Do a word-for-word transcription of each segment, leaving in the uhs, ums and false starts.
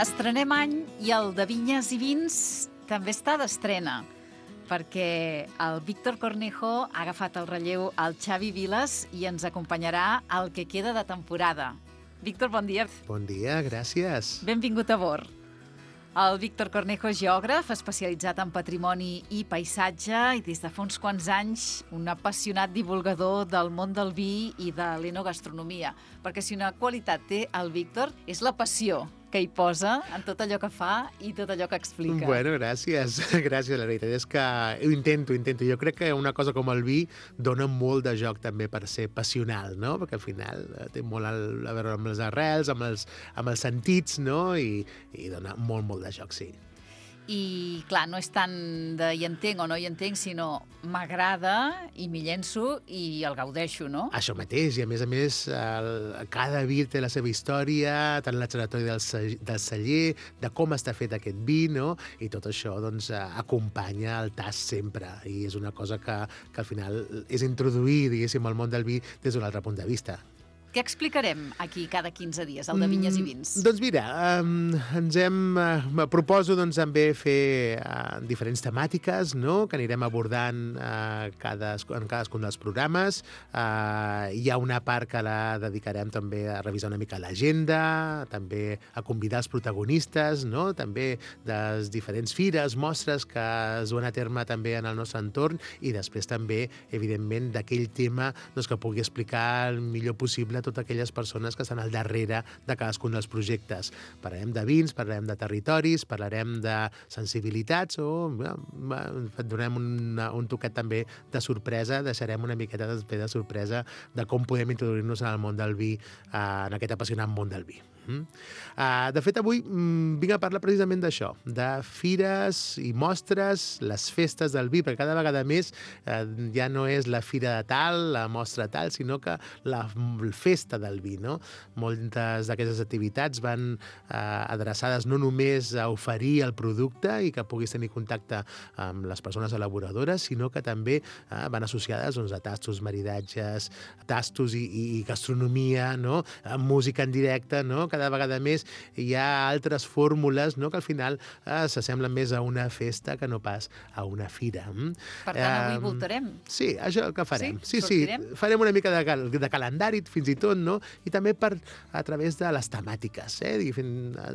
Estrenem any i el de Vinyes i Vins també està d'estrena, perquè el Víctor Cornejo ha agafat el relleu al Xavi Vilas i ens acompanyarà el que queda de temporada. Víctor, bon dia. Bon dia, gràcies. Benvingut a bord. El Víctor Cornejo és geògraf, especialitzat en patrimoni i paisatge i des de fa uns quants anys un apassionat divulgador del món del vi i de l'enogastronomia. Perquè si una qualitat té el Víctor és la passió que hi posa en tot allò que fa i tot allò que explica. Bueno, gràcies. Gràcies, la veritat és que ho intento, intento. Jo crec que una cosa com el vi dona molt de joc també per ser passional, no? Perquè al final té molt a veure amb les arrels, amb els, amb els sentits, no? I, i dona molt, molt de joc, sí. I, clar, no és tant de hi entenc o no hi entenc, sinó m'agrada i m'hi llenço i el gaudeixo, no? Això mateix, i a més a més, el, cada vi té la seva història, tant la trajectòria del, del celler, de com està fet aquest vi, no? I tot això, doncs, acompanya el tast sempre, i és una cosa que, que al final és introduir, diguéssim, al món del vi des d'un altre punt de vista. Què explicarem aquí cada quinze dies, el de Vinyes i Vins? Mm, doncs mira, eh, ens hem, eh, proposo doncs, també fer eh, diferents temàtiques, no?, que anirem abordant eh, cada, en cadascun dels programes. Eh, hi ha una part que la dedicarem també a revisar una mica l'agenda, també a convidar els protagonistes, no?, també de les diferents fires, mostres que es duen a terme també en el nostre entorn, i després també, evidentment, d'aquell tema doncs, que pugui explicar el millor possible a totes aquelles persones que estan al darrere de cadascun dels projectes. Parlarem de vins, parlarem de territoris, parlarem de sensibilitats o et donem un, un toquet també de sorpresa, deixarem una miqueta de, de sorpresa de com podem introduir-nos en el món del vi, eh, en aquest apassionant món del vi. Mm. Uh, de fet, avui mm, vinc a parlar precisament d'això, de fires i mostres, les festes del vi, perquè cada vegada més uh, ja no és la fira de tal, la mostra tal, sinó que la festa del vi, no? Moltes d'aquestes activitats van uh, adreçades no només a oferir el producte i que puguis tenir contacte amb les persones elaboradores, sinó que també uh, van associades doncs, a tastos, maridatges, tastos i, i, i gastronomia, no? Uh, música en directe, no? Cada vegada més hi ha altres fórmules, no?, que al final eh, s'assemblen més a una festa que no pas a una fira. Per tant, avui eh, voltarem. Sí, això el que farem. Sí, sí, sí, farem una mica de, cal de calendari, fins i tot, no?, i també per, a través de les temàtiques. Eh?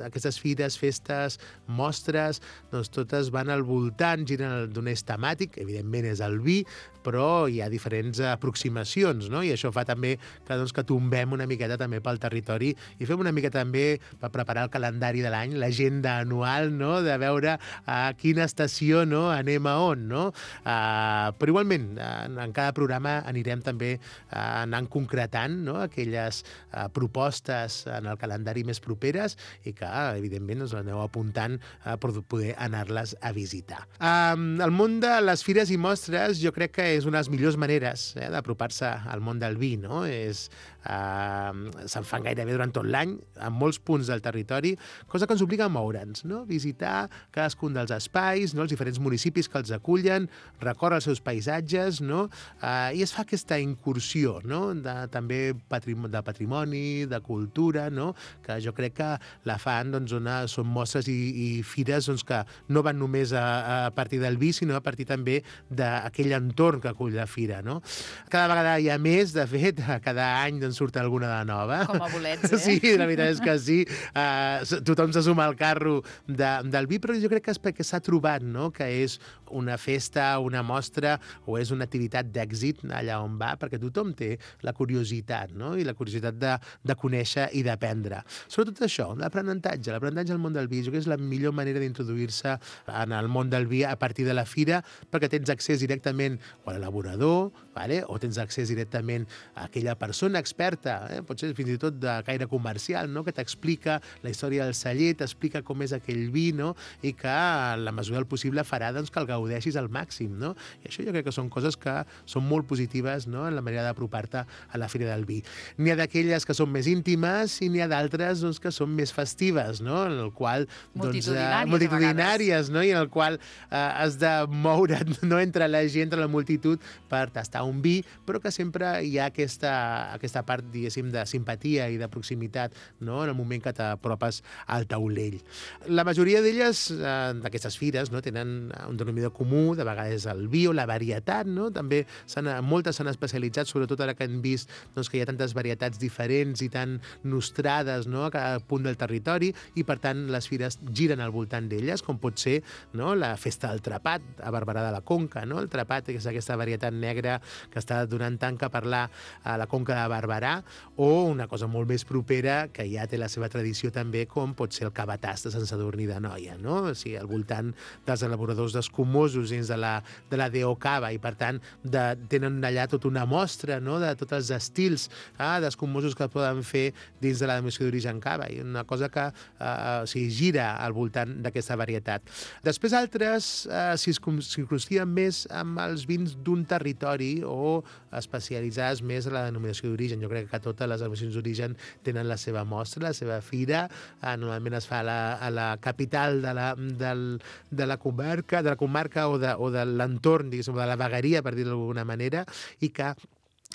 Aquestes fires, festes, mostres, doncs totes van al voltant, giren d'un eix temàtic, evidentment és el vi, però hi ha diferents aproximacions, no?, i això fa també que, doncs, que tombem una miqueta també pel territori i fem una mica també per preparar el calendari de l'any, l'agenda anual, no?, de veure a quina estació, no?, anem a on, no? Uh, però igualment, en, en cada programa anirem també uh, anant concretant, no?, aquelles uh, propostes en el calendari més properes i que, evidentment, us aneu apuntant uh, per poder anar-les a visitar. Uh, el món de les fires i mostres jo crec que és una de les millors maneres eh, d'apropar-se al món del vi, no? És, uh, se'n fan gairebé durant tot l'any, en molts punts del territori, cosa que ens obliga a moure'ns, no? Visitar cadascun dels espais, no?, els diferents municipis que els acullen, recórrer els seus paisatges, no?, uh, i es fa aquesta incursió, no?, de, també patrimoni, de patrimoni, de cultura, no?, que jo crec que la fan, doncs, una, són mostres i, i fires doncs, que no van només a, a partir del vi, sinó a partir també d'aquell entorn que acull la fira, no? Cada vegada hi ha més, de fet, cada any doncs, surt alguna de nova. Com a bolets, eh? Sí, la veritat és que sí. Uh, tothom se suma al carro de, del vi, però jo crec que és perquè s'ha trobat, no?, que és una festa, una mostra o és una activitat d'èxit allà on va, perquè tothom té la curiositat, no?, i la curiositat de, de conèixer i d'aprendre. Sobretot això, l'aprenentatge, l'aprenentatge al món del vi, jo crec que és la millor manera d'introduir-se en el món del vi a partir de la fira, perquè tens accés directament a l'elaborador, vale? O tens accés directament a aquella persona experta, eh? Pot ser fins i tot de caire comercial, no?, que t'explica la història del celler, t'explica com és aquell vi, no?, i que en la mesura del possible farà doncs, que el gaudeixis al màxim, no? I això jo crec que són coses que són molt positives, no?, en la manera d'apropar-te a la Fira del Vi. N'hi ha d'aquelles que són més íntimes i n'hi ha d'altres doncs, que són més festives, no?, en el qual doncs, multitudinàries, multitudinàries, no?, i en el qual eh, has de moure't, no?, entre la gent, entre la multitud, sol·licitud per tastar un vi, però que sempre hi ha aquesta, aquesta part, diguéssim, de simpatia i de proximitat, no?, en el moment que t'apropes al taulell. La majoria d'elles, eh, d'aquestes fires, no?, tenen un denominador comú, de vegades el vi o la varietat, no? També s'han, moltes s'han especialitzat, sobretot ara que hem vist doncs, que hi ha tantes varietats diferents i tan nostrades, no?, a cada punt del territori, i per tant les fires giren al voltant d'elles, com pot ser, no?, la festa del trepat a Barberà de la Conca, no? El trepat és aquesta varietat negra que està donant tant que parlar a la Conca de Barberà, o una cosa molt més propera que ja té la seva tradició també, com pot ser el cabatàs de Sant Sadurní d'Anoia, no? O sigui, al voltant dels elaboradors d'escumosos dins de la, de la D O Cava, i per tant de, tenen allà tota una mostra, no?, de tots els estils ah, d'escumosos que poden fer dins de la denominació d'origen Cava, i una cosa que eh, o sigui, gira al voltant d'aquesta varietat. Després altres eh, s'hi circumscriuen més amb els vins d'un territori o especialitzades més a la denominació d'origen. Jo crec que totes les denominacions d'origen tenen la seva mostra, la seva fira. Eh, normalment es fa a la, a la capital de la, del, de la comarca, de la comarca o de, o de l'entorn, diguéssim, de la vegueria, per dir-ho d'alguna manera, i que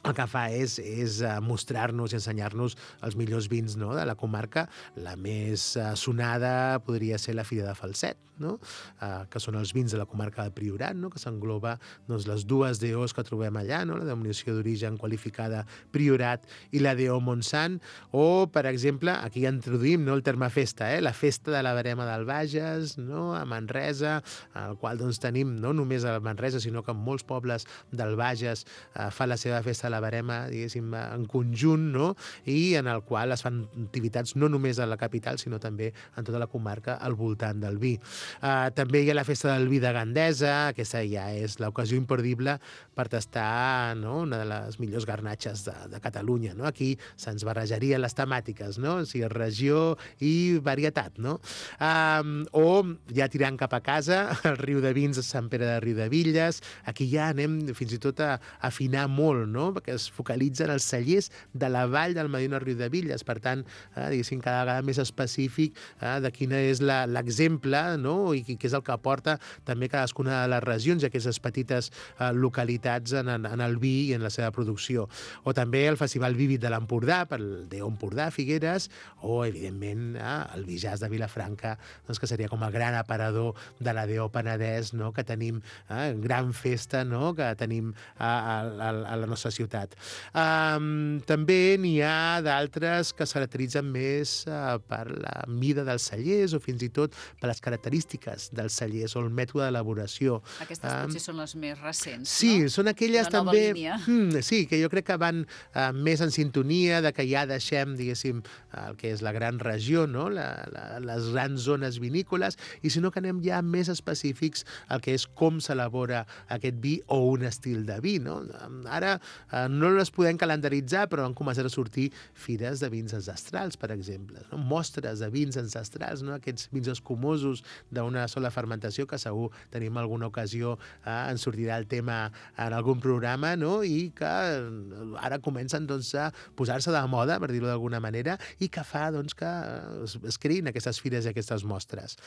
el que fa és, és mostrar-nos i ensenyar-nos els millors vins, no?, de la comarca. La més sonada podria ser la Fira de Falset, no?, uh, que són els vins de la comarca del Priorat, no?, que s'engloba doncs, les dues D Os que trobem allà, no?, la denominació d'origen qualificada Priorat i la D O Montsant, o, per exemple, aquí ja introduïm, no?, el terme festa, eh? La festa de la Verema del Bages, no?, a Manresa, al qual doncs, tenim no només a Manresa, sinó que en molts pobles del Bages uh, fa la seva festa la Verema, diguéssim, en conjunt, no?, i en el qual es fan activitats no només a la capital, sinó també en tota la comarca al voltant del vi. Uh, també hi ha la festa del vi de Gandesa, aquesta ja és l'ocasió imperdible per tastar, no?, una de les millors garnatxes de, de Catalunya, no? Aquí se'ns barrejarien les temàtiques, no?, o sigui, regió i varietat, no? Uh, o ja tirant cap a casa, el riu de vins de Sant Pere de Riudebitlles, aquí ja anem fins i tot a afinar molt, no?, perquè es focalitzen els cellers de la vall del Medina Riudebitlles, per tant, eh, diguéssim, cada vegada més específic eh, de quina és l'exemple, no?, i què és el que aporta també cadascuna de les regions i aquestes petites eh, localitats en, en, en el vi i en la seva producció. O també el Festival Vívid de l'Empordà, per el D O Empordà, Figueres, o, evidentment, eh, el Vi Jazz de Vilafranca, doncs, que seria com el gran aparador de la D O Penedès, no?, que tenim eh, gran festa, no?, que tenim eh, a, a, a la nostra ciutat. Um, també n'hi ha d'altres que es caracteritzen més uh, per la mida dels cellers o fins i tot per les característiques dels cellers o el mètode d'elaboració. Aquestes um, potser són les més recents, sí, no? Sí, són aquelles la també... Hmm, sí, que jo crec que van uh, més en sintonia, de que ja deixem, diguéssim, el que és la gran regió, no?, la, la, les grans zones vinícoles, i sinó que anem ja més específics al que és com s'elabora aquest vi o un estil de vi, no? Ara uh, no les podem calendaritzar, però han començat a sortir fires de vins ancestrals, per exemple, no? Mostres de vins ancestrals, no?, aquests vins escumosos d'una sola fermentació, que segur tenim alguna ocasió, eh, en sortirà el tema en algun programa, no?, i que ara comencen doncs, a posar-se de moda, per dir-ho d'alguna manera, i que fa doncs, que es, es creïn aquestes fires i aquestes mostres.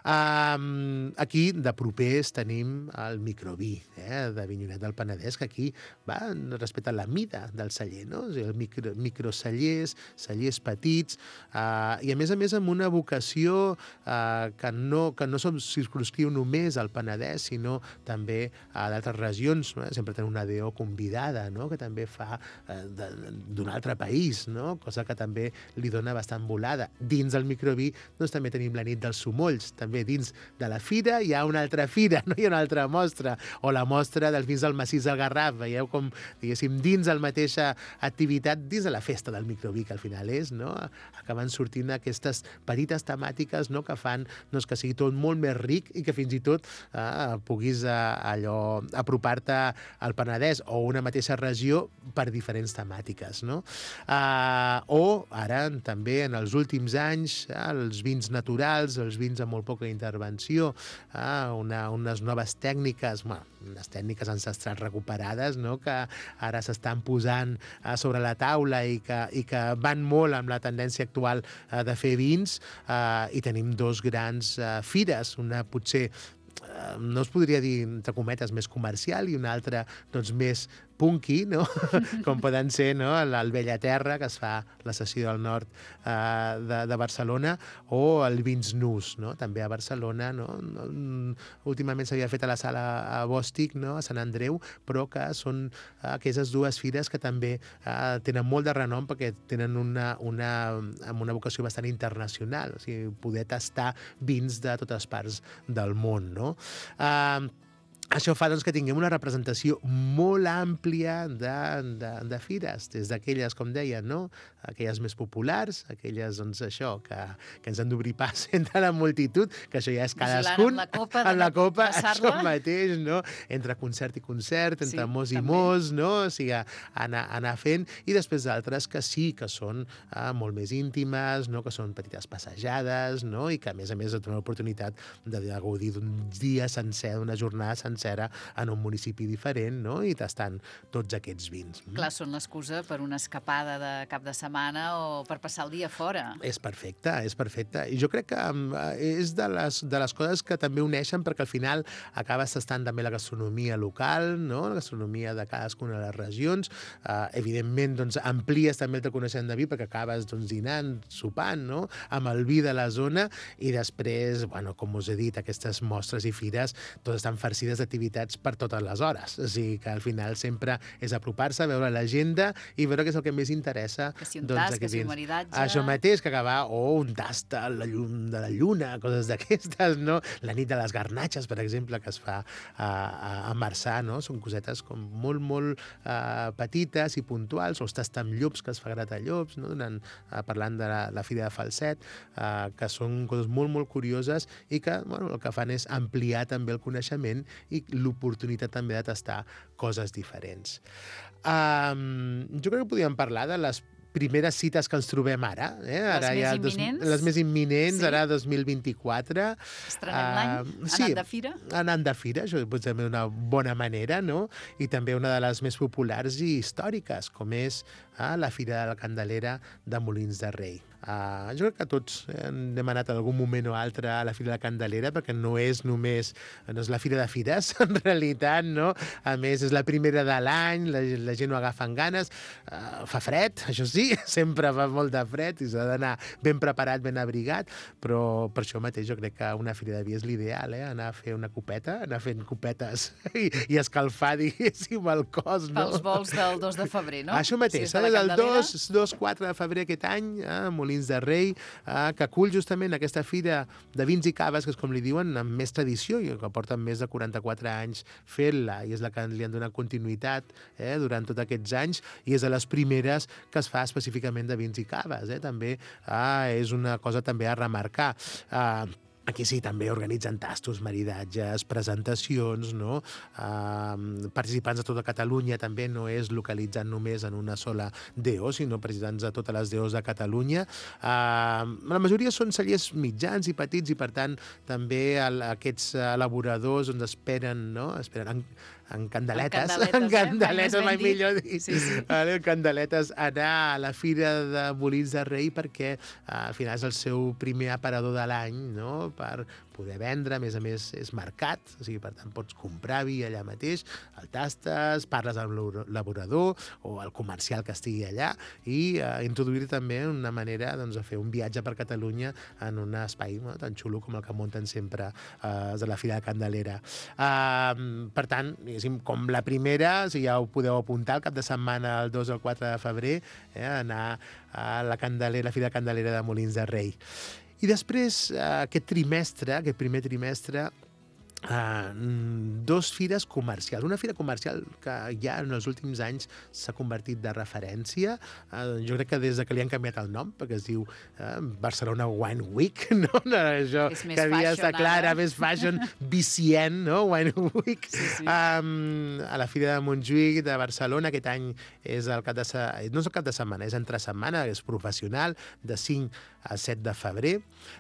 Um, aquí, de propers, tenim el microví, eh, de Vinyonet del Penedès, que aquí va respecte a la mida del celler, no? O sigui, el micro, microcellers, cellers petits, eh, i a més a més amb una vocació eh, que no, que no som circunscriu només al Penedès, sinó també a d'altres regions, no? Sempre tenim una D O convidada, no?, que també fa eh, d'un altre país, no?, cosa que també li dona bastant volada. Dins del microví doncs, també tenim la nit dels somolls, també dins de la fira hi ha una altra fira, no hi ha una altra mostra, o la mostra dels vins del massís del Garraf, veieu com, diguéssim, dins de la mateixa activitat, dins de la festa del microví, que al final és, no?, acaben sortint aquestes petites temàtiques, no?, que fan doncs, que sigui tot molt més ric i que fins i tot eh, puguis eh, allò apropar-te al Penedès o una mateixa regió per diferents temàtiques, no? Eh, o ara també en els últims anys eh, els vins naturals, els vins amb molt poca intervenció, eh, una, unes noves tècniques, bueno, unes tècniques ancestrals recuperades, no?, que ara s'estan posant eh, sobre la taula i que, i que van molt amb la tendència actual eh, de fer vins, eh, i tenim dos grans eh, fires, una potser no es podria dir, entre cometes, més comercial, i una altra doncs, més punky, no? Com poden ser, no? el Bellaterra, que es fa la sessió del nord eh, de, de Barcelona, o el Vins Nus, no? També a Barcelona. No? Últimament s'havia fet a la sala a Bòstic, no? A Sant Andreu, però que són aquestes dues fires que també eh, tenen molt de renom perquè tenen una, una, amb una vocació bastant internacional, o sigui, poder tastar vins de totes parts del món, no? Eh, Això fa doncs, que tinguem una representació molt àmplia de, de, de fires, des d'aquelles, com deia, no? Aquelles més populars, aquelles, doncs, això, que, que ens han d'obrir pas entre la multitud, que això ja és cadascun, amb la copa, amb la copa això mateix, no? Entre concert i concert, entre sí, mos i també. mos, no? O sigui, anar, anar fent, i després d'altres que sí, que són eh, molt més íntimes, no? Que són petites passejades, no? I que, a més a més, et donen l'oportunitat de, de gaudir d'un dia sencer, d'una jornada sencera, en un municipi diferent, no? I tastant tots aquests vins. Clar, són l'excusa per una escapada de cap de setmana o per passar el dia fora. És perfecte, és perfecte. I jo crec que és de les, de les coses que també uneixen, perquè al final acabes tastant també la gastronomia local, no? La gastronomia de cadascuna de les regions. Uh, evidentment, doncs, amplies també el teu coneixement de vi, perquè acabes doncs, dinant, sopant, no? Amb el vi de la zona, i després, bueno, com us he dit, aquestes mostres i fires totes estan farcides de activitats per totes les hores. O sigui que al final sempre és apropar-se, veure l'agenda i veure què és el que més interessa. Que si un doncs, tast, que si un maridatge... Això mateix, que acabar, o oh, un tast a la llum de la lluna, coses d'aquestes, no? La nit de les garnatxes, per exemple, que es fa a, a, a Marçà, no? Són cosetes com molt, molt uh, petites i puntuals, o els tast amb llops, que es fa gratallops, no? Donant, uh, parlant de la, la Fira de Falset, uh, que són coses molt, molt curioses i que, bueno, el que fan és ampliar també el coneixement i l'oportunitat també de tastar coses diferents. Um, jo crec que podríem parlar de les primeres cites que ens trobem ara. Eh? Les ara més ja imminents? Dos, les més imminents, sí? Ara dos mil vint-i-quatre. Estrenem uh, l'any? Anant sí, de fira? Anant de fira, això pot ser una bona manera, no? I també una de les més populars i històriques, com és uh, la Fira de la Candelera de Molins de Rei. Uh, jo crec que tots hem anat en algun moment o altre a la Fira de la Candelera, perquè no és només no és la Fira de Fires, en realitat, no? A més, és la primera de l'any, la, la gent ho agafa amb ganes, uh, fa fred, això sí, sempre fa molt de fred i s'ha d'anar ben preparat, ben abrigat, però per això mateix jo crec que una Fira de Vi és l'ideal, eh? Anar a fer una copeta, anar fent copetes i, i escalfar, diguéssim, el cos, no? Pels vols del dos de febrer, no? Això mateix, si és del dos quatre de febrer aquest any, eh? Molins de Rei, eh, que acull justament aquesta fira de vins i caves, que és com li diuen, amb més tradició, i que porten més de quaranta-quatre anys fent-la, i és la que li han donat continuïtat eh, durant tots aquests anys, i és de les primeres que es fa específicament de vins i caves. Eh? També eh, és una cosa també a remarcar. Eh, Aquí sí, també organitzen tastos, maridatges, presentacions, no? Uh, participants de tota Catalunya, també no és localitzat només en una sola D O, sinó participants de totes les D Os de Catalunya. Uh, la majoria són cellers mitjans i petits, i per tant també el, aquests elaboradors doncs, esperen, no? esperen en, en candeletes, en candeletes, en candeletes eh? mai millor dit, sí, sí. Vale, en candeletes, anar a la Fira de Molins de Rei, perquè uh, al final és el seu primer aparador de l'any, no? Per poder vendre, a més a més és mercat, o sigui, per tant pots comprar vi allà mateix, el tastes, parles amb l'elaborador o el comercial que estigui allà, i uh, introduir també una manera doncs, de fer un viatge per Catalunya en un espai no? tan xulo com el que munten sempre uh, de la Fira de Candelera. Uh, per tant, com la primera, si ja ho podeu apuntar, el cap de setmana, el dos al quatre de febrer, eh, anar a la Candelera, la Fira de Candelera de Molins de Rei. I després, aquest trimestre, aquest primer trimestre, Uh, dos fires comercials. Una fira comercial que ja en els últims anys s'ha convertit de referència. Uh, jo crec que des de que li han canviat el nom, perquè es diu uh, Barcelona Wine Week, no? no això és més que havia fashion, estat clara, més fashion, vicient, no? Wine Week. Sí, sí. Um, a la Fira de Montjuïc de Barcelona, aquest any és el cap de setmana, no és el cap de setmana, és entre setmana, és professional, de cinc a set de febrer,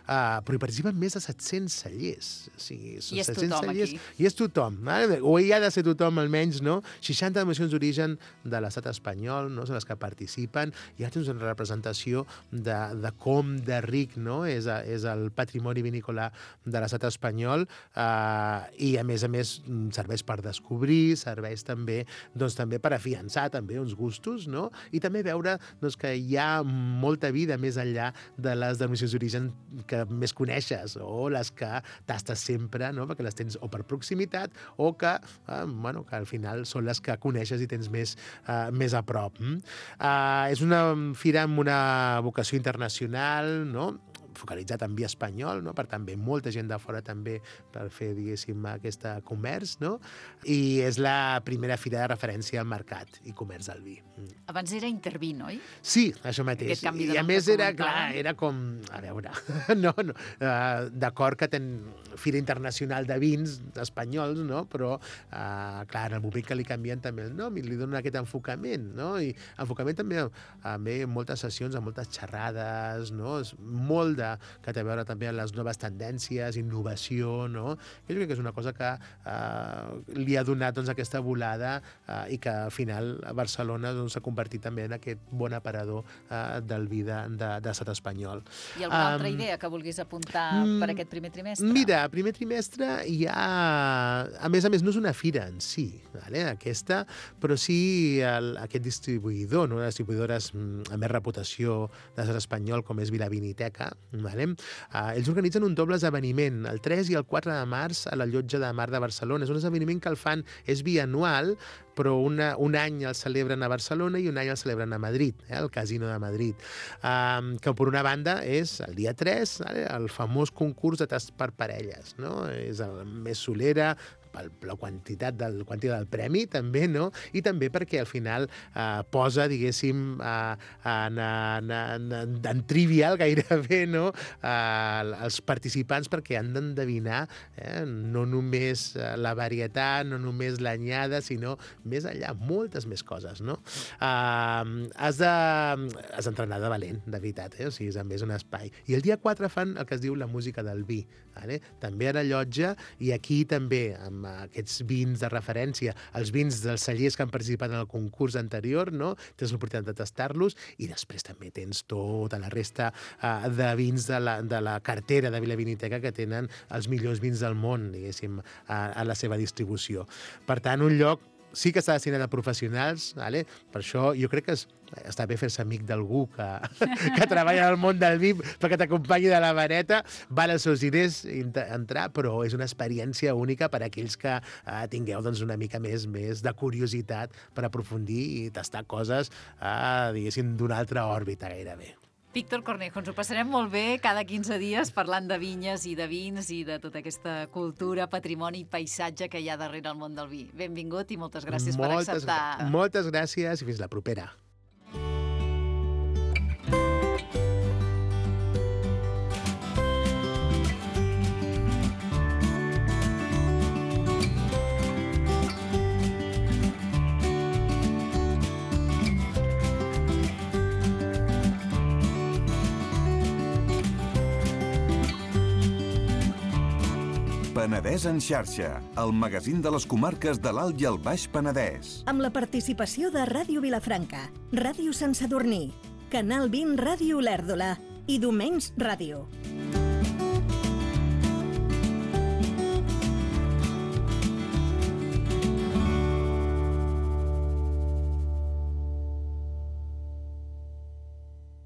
uh, però hi participen més de set-cents cellers. O sigui, són I és set-cents tothom, cellers, aquí. i és tothom, vale? O hi ha de ser tothom almenys, no? seixanta denominacions d'origen de l'estat espanyol, no? Són les que participen, i ja tens una representació de, de com de ric, no? és, és el patrimoni vinícola de l'estat espanyol, eh, i a més a més serveix per descobrir, serveix també, doncs, també per afiançar també uns gustos, no? I també veure doncs, que hi ha molta vida més enllà de les denominacions d'origen que més coneixes o les que tastes sempre, no? Perquè les tens o per proximitat o que, eh, bueno, que al final són les que coneixes i tens més, eh, més a prop. Mm? Eh, és una fira amb una vocació internacional, no? focalitzat en vi espanyol, no? Per tant, ve molta gent de fora també per fer, diguéssim, aquest comerç, no? I és la primera fira de referència al mercat i comerç del vi. Abans era Intervin, oi? Sí, això mateix. Aquest canvi de I a nom més que era, comentàvem. clar, era com, a veure, no, no, uh, d'acord que ten Fira Internacional de Vins espanyols, no? Però, uh, clar, en el moment que li canvien també el nom i li donen aquest enfocament, no? I enfocament també, també moltes sessions, amb moltes xerrades, no? És molt de, que té a veure també amb les noves tendències, innovació, no? Jo crec que és una cosa que uh, li ha donat doncs, aquesta volada uh, i que al final a Barcelona doncs, s'ha convertit també en aquest bon aparador uh, del vi de, de, de l'estat espanyol. I alguna Um, altra idea que vulguis apuntar per aquest primer trimestre? Mira, primer trimestre hi ha... A més a més, no és una fira en si, vale? Aquesta, però sí el, aquest distribuïdor, no? Les distribuïdores amb més reputació de l'estat espanyol, com és Vilaviniteca, vale? Uh, ells organitzen un doble esdeveniment, el tres i el quatre de març, a la Llotja de Mar de Barcelona. És un esdeveniment que el fan, és bianual, però una, un any el celebren a Barcelona i un any el celebren a Madrid, eh, al Casino de Madrid. Um, que per una banda és el dia tres, vale, el famós concurs de tast per parelles, no? És el més solera, per la quantitat del, quantitat del premi, també, no? I també perquè al final eh, posa, diguéssim, eh, en, en, en, en trivial gairebé, no? Eh, els participants perquè han d'endevinar eh, no només la varietat, no només l'anyada, sinó més enllà, moltes més coses, no? Eh, has de, has d'entrenar de valent, de veritat, eh? O sigui, també és un espai. I el dia quatre fan el que es diu la música del vi, vale? També a la llotja, i aquí també, amb aquests vins de referència, els vins dels cellers que han participat en el concurs anterior, no? Tens l'oportunitat de tastar-los, i després també tens tota la resta uh, de vins de la, de la cartera de Vilaviniteca que tenen els millors vins del món, diguéssim, a, a la seva distribució. Per tant, un lloc sí que està destinat a professionals, vale? Per això jo crec que és, està bé fer-se amic d'algú que, que treballa al món del vi perquè t'acompanyi de la vareta, val els seus diners entrar, però és una experiència única per a aquells que eh, tingueu doncs, una mica més, més de curiositat per aprofundir i tastar coses, eh, diguéssim, d'una altra òrbita gairebé. Víctor Cornejo, ens ho passarem molt bé cada quinze dies parlant de vinyes i de vins i de tota aquesta cultura, patrimoni i paisatge que hi ha darrere el món del vi. Benvingut i moltes gràcies moltes, per acceptar. Moltes gràcies i fins la propera. Penedès en xarxa, el magazín de les comarques de l'Alt i el Baix Penedès. Amb la participació de Ràdio Vilafranca, Ràdio Sant Sadurní, Canal vint Ràdio Olèrdola i Domens Ràdio.